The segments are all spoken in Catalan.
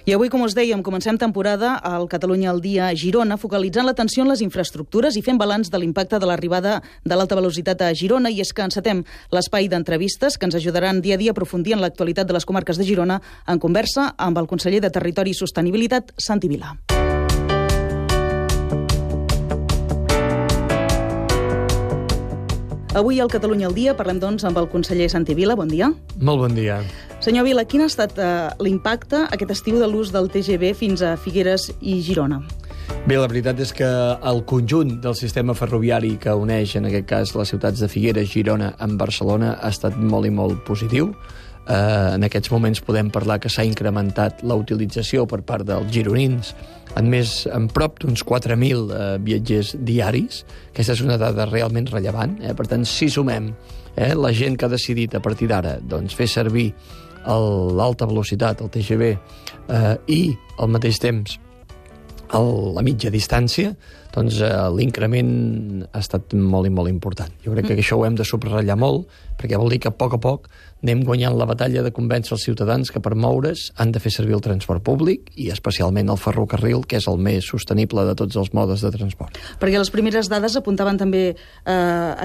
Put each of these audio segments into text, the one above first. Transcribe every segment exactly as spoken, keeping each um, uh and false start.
I avui, com us dèiem, comencem temporada al Catalunya al dia a Girona, focalitzant l'atenció en les infraestructures i fent balanç de l'impacte de l'arribada de l'alta velocitat a Girona. I és que encetem l'espai d'entrevistes que ens ajudaran dia a dia a aprofundir en l'actualitat de les comarques de Girona en conversa amb el conseller de Territori i Sostenibilitat, Santi Vila. Avui al Catalunya al dia parlem, doncs, amb el conseller Santi Vila. Bon dia. Molt bon dia. Senyor Vila, quin ha estat eh, l'impacte aquest estiu de l'ús del T G V fins a Figueres i Girona? Bé, la veritat és que el conjunt del sistema ferroviari que uneix, en aquest cas, les ciutats de Figueres, Girona amb Barcelona ha estat molt i molt positiu. Eh, en aquests moments podem parlar que s'ha incrementat la utilització per part dels gironins en més en prop d'uns quatre mil eh, viatgers diaris. Aquesta és una dada realment rellevant. Eh? Per tant, si sumem eh, la gent que ha decidit a partir d'ara doncs, fer servir l'alta velocitat, el T G V, eh, i al mateix temps el, la mitja distància, doncs eh, l'increment ha estat molt i molt important. Jo crec que això ho hem de subratllar molt, perquè vol dir que a poc a poc anem guanyant la batalla de convèncer els ciutadans que per moure's han de fer servir el transport públic i especialment el ferrocarril, que és el més sostenible de tots els modes de transport. Perquè les primeres dades apuntaven també eh,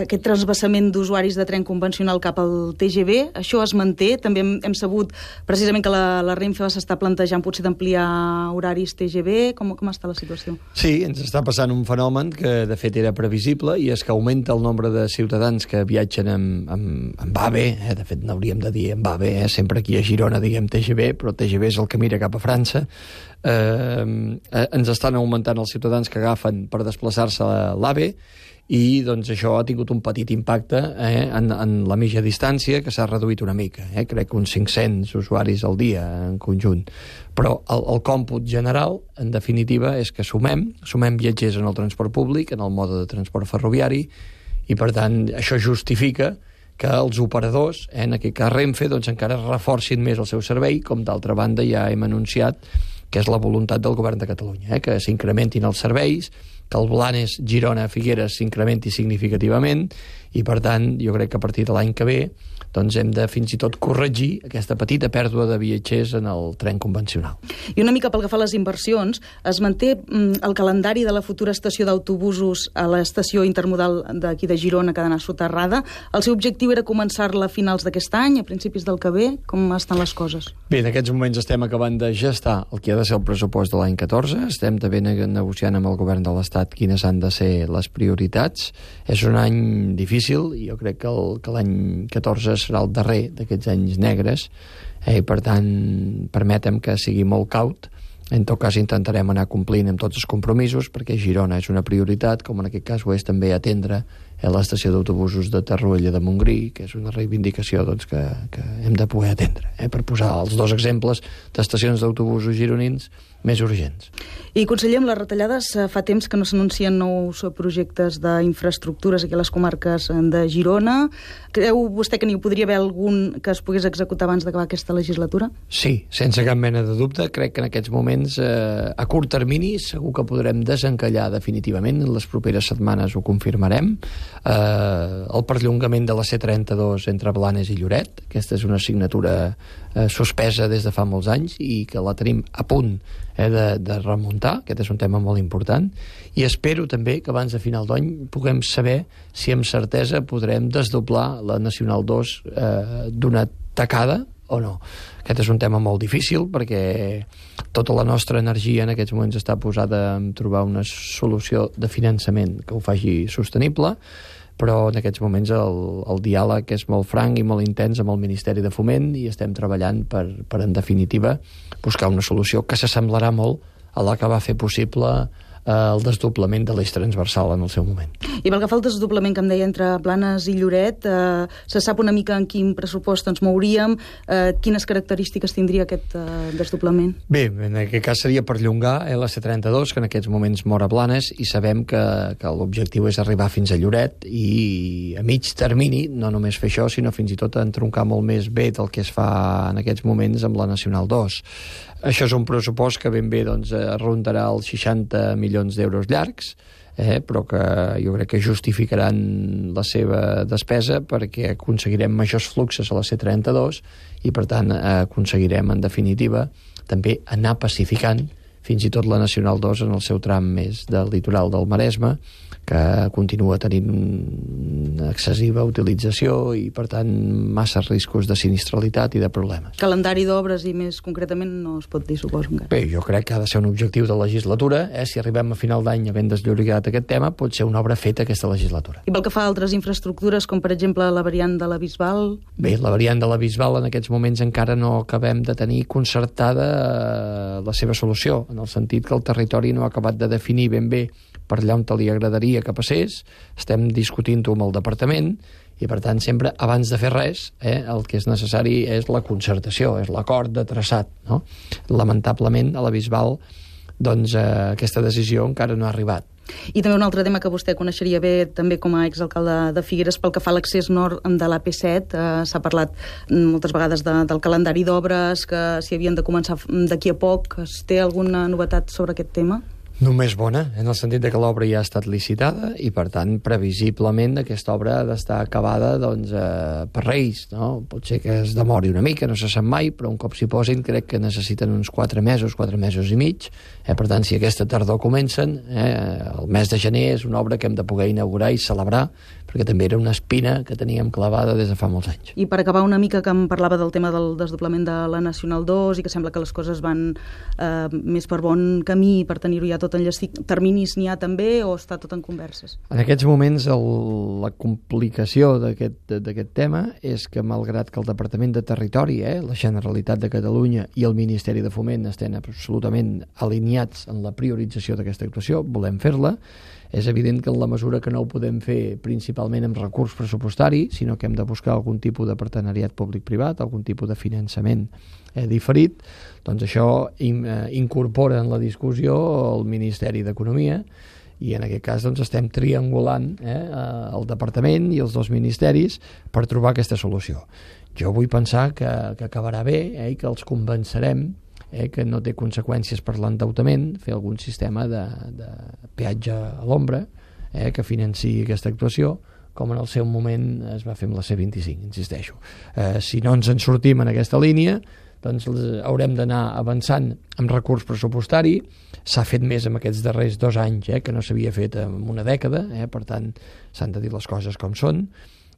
aquest transvasament d'usuaris de tren convencional cap al T G V. Això es manté. També hem, hem sabut precisament que la, la Renfe s'està plantejant potser d'ampliar horaris T G V. Com, com està la situació? Sí, ens està passant un fenomen que de fet era previsible, i és que augmenta el nombre de ciutadans que viatgen amb, amb, amb AVE. Eh? De fet, n'hauríem de dir amb AVE, eh? Sempre aquí a Girona diguem T G V, però T G V és el que mira cap a França. Eh, eh, ens estan augmentant els ciutadans que agafen per desplaçar-se a l'AVE, i doncs això ha tingut un petit impacte eh, en, en la mitja distància, que s'ha reduït una mica, eh? Crec que uns cinc-cents usuaris al dia en conjunt. Però el, el còmput general, en definitiva, és que sumem, sumem viatgers en el transport públic, en el mode de transport ferroviari, i per tant això justifica que els operadors, eh, en aquest cas Renfe, doncs encara reforcin més el seu servei, com d'altra banda ja hem anunciat que és la voluntat del govern de Catalunya, eh, que s'incrementin els serveis, que el Blanes, Girona, Figueres s'incrementi significativament, i per tant jo crec que a partir de l'any que ve doncs hem de fins i tot corregir aquesta petita pèrdua de viatgers en el tren convencional. I una mica pel que fa a les inversions, es manté mm, el calendari de la futura estació d'autobusos a l'estació intermodal d'aquí de Girona, que ha d'anar soterrada. El seu objectiu era començar-la a finals d'aquest any, a principis del que ve. Com estan les coses? Bé, en aquests moments estem acabant de gestar el que ha de ser el pressupost de l'any catorze. Estem també negociant amb el govern de l'Estat quines han de ser les prioritats. És un any difícil, i jo crec que, el, que l'any catorze serà el darrer d'aquests anys negres, eh, i per tant permetem que sigui molt caut. En tot cas intentarem anar complint amb tots els compromisos, perquè Girona és una prioritat, com en aquest cas ho és també atendre a l'estació d'autobusos de Torroella de Montgrí, que és una reivindicació doncs, que, que hem de poder atendre, eh, per posar els dos exemples d'estacions d'autobusos gironins més urgents. I, conseller, amb les retallades fa temps que no s'anuncien nous projectes d'infraestructures aquí a les comarques de Girona. Creu vostè que n'hi podria haver algun que es pogués executar abans d'acabar aquesta legislatura? Sí, sense cap mena de dubte. Crec que en aquests moments, eh, a curt termini, segur que podrem desencallar definitivament. En les properes setmanes ho confirmarem. Eh, el perllongament de la C trenta-dos entre Blanes i Lloret. Aquesta és una assignatura eh, suspesa des de fa molts anys i que la tenim a punt eh, de, de remuntar. Aquest és un tema molt important, i espero també que abans de final d'any puguem saber si amb certesa podrem desdoblar la Nacional dos eh, d'una tacada o no. Aquest és un tema molt difícil, perquè tota la nostra energia en aquests moments està posada en trobar una solució de finançament que ho faci sostenible, però en aquests moments el, el diàleg és molt franc i molt intens amb el Ministeri de Foment, i estem treballant per, per en definitiva, buscar una solució que s'assemblarà molt a la que va fer possible eh, el desdoblament de l'eix transversal en el seu moment. I pel que fa al desdoblament que em deia entre Blanes i Lloret, eh, se sap una mica en quin pressupost ens mouríem, eh, quines característiques tindria aquest eh, desdoblament? Bé, en aquest cas seria perllongar eh, la C trenta-dos, que en aquests moments mor a Blanes, i sabem que, que l'objectiu és arribar fins a Lloret, i a mig termini, no només fer això, sinó fins i tot entroncar molt més bé del que es fa en aquests moments amb la Nacional dos. Això és un pressupost que ben bé doncs, rondarà els seixanta milions d'euros llargs, eh, però que jo crec que justificaran la seva despesa, perquè aconseguirem majors fluxes a la C trenta-dos i, per tant, aconseguirem, en definitiva, també anar pacificant fins i tot la Nacional dos en el seu tram més del litoral del Maresme, que continua tenint una excessiva utilització i, per tant, massa riscos de sinistralitat i de problemes. Calendari d'obres i més concretament no es pot dir, suposo, encara. Bé, jo crec que ha de ser un objectiu de legislatura. Eh? Si arribem a final d'any havent desllorigat aquest tema, pot ser una obra feta aquesta legislatura. I pel que fa a altres infraestructures, com per exemple la variant de la Bisbal? Bé, la variant de la Bisbal en aquests moments encara no acabem de tenir concertada la seva solució, en el sentit que el territori no ha acabat de definir ben bé per allà on te li agradaria que passés. Estem discutint-ho amb el departament i, per tant, sempre, abans de fer res, eh, el que és necessari és la concertació, és l'acord de traçat. No? Lamentablement, a la Bisbal, doncs, eh, aquesta decisió encara no ha arribat. I també un altre tema que vostè coneixeria bé, també com a exalcalde de Figueres, pel que fa a l'accés nord de l'A P set. Eh, s'ha parlat moltes vegades de, del calendari d'obres, que s'hi havien de començar d'aquí a poc. Es té alguna novetat sobre aquest tema? Només bona, en el sentit de que l'obra ja ha estat licitada i, per tant, previsiblement aquesta obra ha d'estar acabada doncs, eh, per Reis. No? Pot ser que es demori una mica, no se sap mai, però un cop s'hi posin crec que necessiten uns quatre mesos, quatre mesos i mig. Eh, per tant, si aquesta tardor comencen, eh, el mes de gener és una obra que hem de poder inaugurar i celebrar, perquè també era una espina que teníem clavada des de fa molts anys. I per acabar una mica, que em parlava del tema del desdoblament de la Nacional dos i que sembla que les coses van eh, més per bon camí per tenir-ho ja tot enllestit. Terminis n'hi ha també o està tot en converses? En aquests moments el, la complicació d'aquest tema és que, malgrat que el Departament de Territori, eh, la Generalitat de Catalunya i el Ministeri de Foment estan absolutament alineats en la priorització d'aquesta actuació, volem fer-la. És evident que en la mesura que no ho podem fer principalment amb recurs pressupostari, sinó que hem de buscar algun tipus de partenariat públic-privat, algun tipus de finançament eh, diferit, doncs això in, eh, incorpora en la discussió el Ministeri d'Economia i en aquest cas doncs, estem triangulant eh, el Departament i els dos ministeris per trobar aquesta solució. Jo vull pensar que, que acabarà bé eh, i que els convencerem Eh, que no té conseqüències per l'endeutament, fer algun sistema de, de peatge a l'ombra eh, que financi aquesta actuació, com en el seu moment es va fer amb la C vint-i-cinc, insisteixo. Eh, si no ens en sortim en aquesta línia, doncs haurem d'anar avançant amb recurs pressupostari. S'ha fet més en aquests darrers dos anys, eh, que no s'havia fet en una dècada, eh, per tant s'han de dir les coses com són,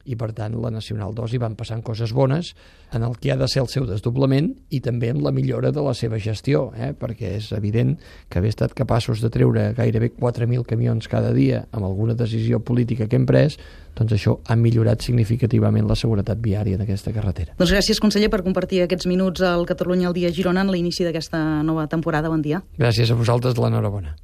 i per tant la Nacional dos hi van passant coses bones en el que ha de ser el seu desdoblament i també en la millora de la seva gestió, eh? perquè és evident que haver estat capaços de treure gairebé quatre mil camions cada dia amb alguna decisió política que hem pres, doncs això ha millorat significativament la seguretat viària d'aquesta carretera. Doncs gràcies, conseller, per compartir aquests minuts al Catalunya al dia Girona en l'inici d'aquesta nova temporada. Bon dia. Gràcies a vosaltres, l'enhorabona.